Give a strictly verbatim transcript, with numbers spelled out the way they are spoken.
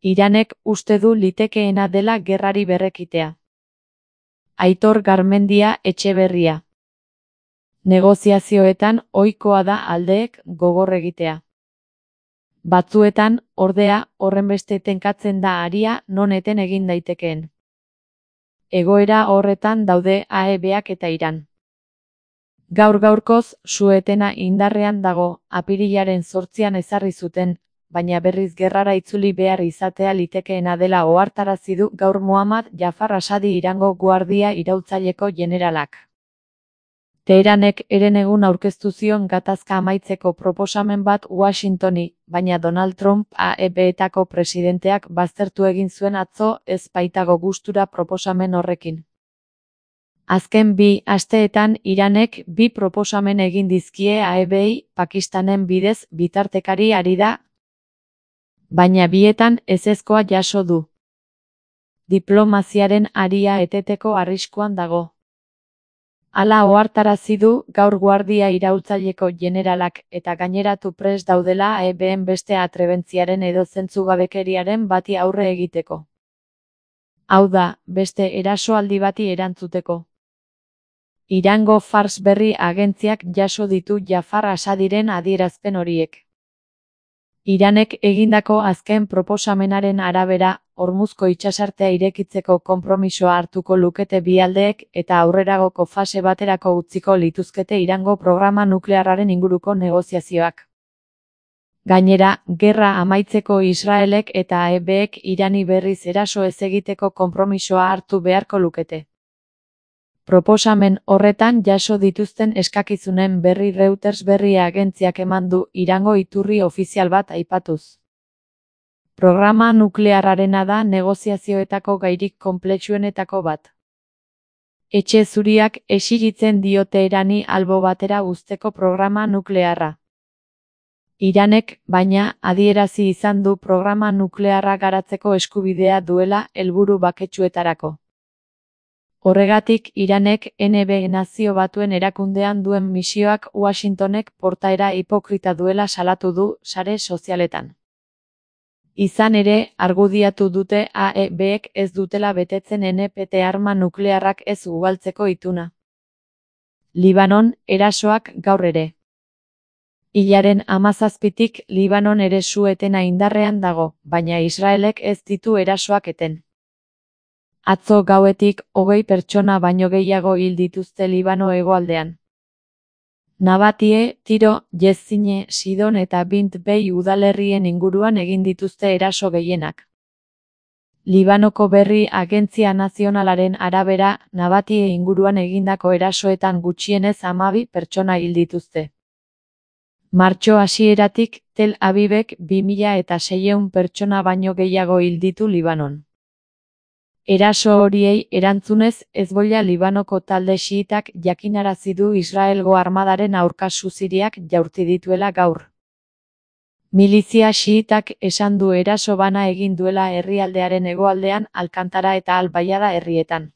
Iranek uste du litekeena dela gerrari berrekitea. Aitor Garmendia Etxeberria. Negoziazioetan ohikoa da aldeek gogor egitea. Batzuetan, ordea, horrenbeste tenkatzen da aria non eten egin daitekeen. Egoera horretan daude A E Bak eta Iran. Gaur gaurkoz, su-etena indarrean dago, apirilaren zortzian ezarri zuten, baina berriz gerrara itzuli behar izatea litekeena dela ohartarazi du gaur Muhammad Jafar Asadi Irango guardia iraultzaileko jeneralak. Teheranek herenegun aurkeztu zion gatazka amaitzeko proposamen bat Washingtoni, baina Donald Trump A E Betako presidenteak baztertu egin zuen atzo ez baitago gustura proposamen horrekin. Azken bi asteetan Iranek bi proposamen egin dizkie A E Bei, Pakistanen bidez bitartekari ari da, baina bietan ezezkoa jaso du. Diplomaziaren aria eteteko arriskuan dago. Hala ohartarazi du gaur guardia iraultzaileko jeneralak eta gaineratu prest daudela A E Been beste atrebentziaren edo zentzugabekeriaren bati aurre egiteko. Hau da, beste erasoaldi bati erantzuteko. Irango Fars berri agentziak jaso ditu Jafar Asadiren adierazpen horiek. Iranek egindako azken proposamenaren arabera, Hormuzko itsasartea irekitzeko konpromisoa hartuko lukete bi aldeek eta aurreragoko fase baterako utziko lituzkete Irango programa nuklearraren inguruko negoziazioak. Gainera, gerra amaitzeko Israelek eta A E Bek Irani berriz eraso ez egiteko konpromisoa hartu beharko lukete. Proposamen horretan jaso dituzten eskakizunen berri Reuters berri agentziak eman du Irango iturri ofizial bat aipatuz. Programa nuklearrarena da negoziazioetako gairik konplexuenetako bat. Etxe Zuriak exigitzen dio Teherani albo batera uzteko programa nuklearra. Iranek, baina, adierazi izan du programa nuklearra garatzeko eskubidea duela helburu baketsuetarako. Horregatik, Iranek N B Nazio Batuen erakundean duen misioak Washingtonek portaera hipokrita duela salatu du sare sozialetan. Izan ere, argudiatu dute A E Bek ez dutela betetzen N P T arma nuklearrak ez ugaltzeko ituna. Libanon, erasoak gaur ere. Hilaren hamazazpitik Libanon ere su-etena indarrean dago, baina Israelek ez ditu erasoak eten. Atzo gauetik hogei pertsona baino gehiago hil dituzte Libano hegoaldean. Nabatie, Tiro, Jezine, Sidon eta Bint Bei udalerrien inguruan egin dituzte eraso gehienak. Libanoko berri agentzia nazionalaren arabera, Nabatie inguruan egindako erasoetan gutxienez hamabi pertsona hil dituzte. Martxo hasieratik, Tel Avivek bi mila eta seiehun pertsona baino gehiago hil ditu Libanon. Eraso horiei erantzunez, Hezbollah Libanoko talde xiitak jakinarazi du Israelgo armadaren aurka suziriak jaurti dituela gaur. Milizia xiitak esan du eraso bana egin duela herrialdearen hegoaldean Alkantara eta Al-Bayada herrietan.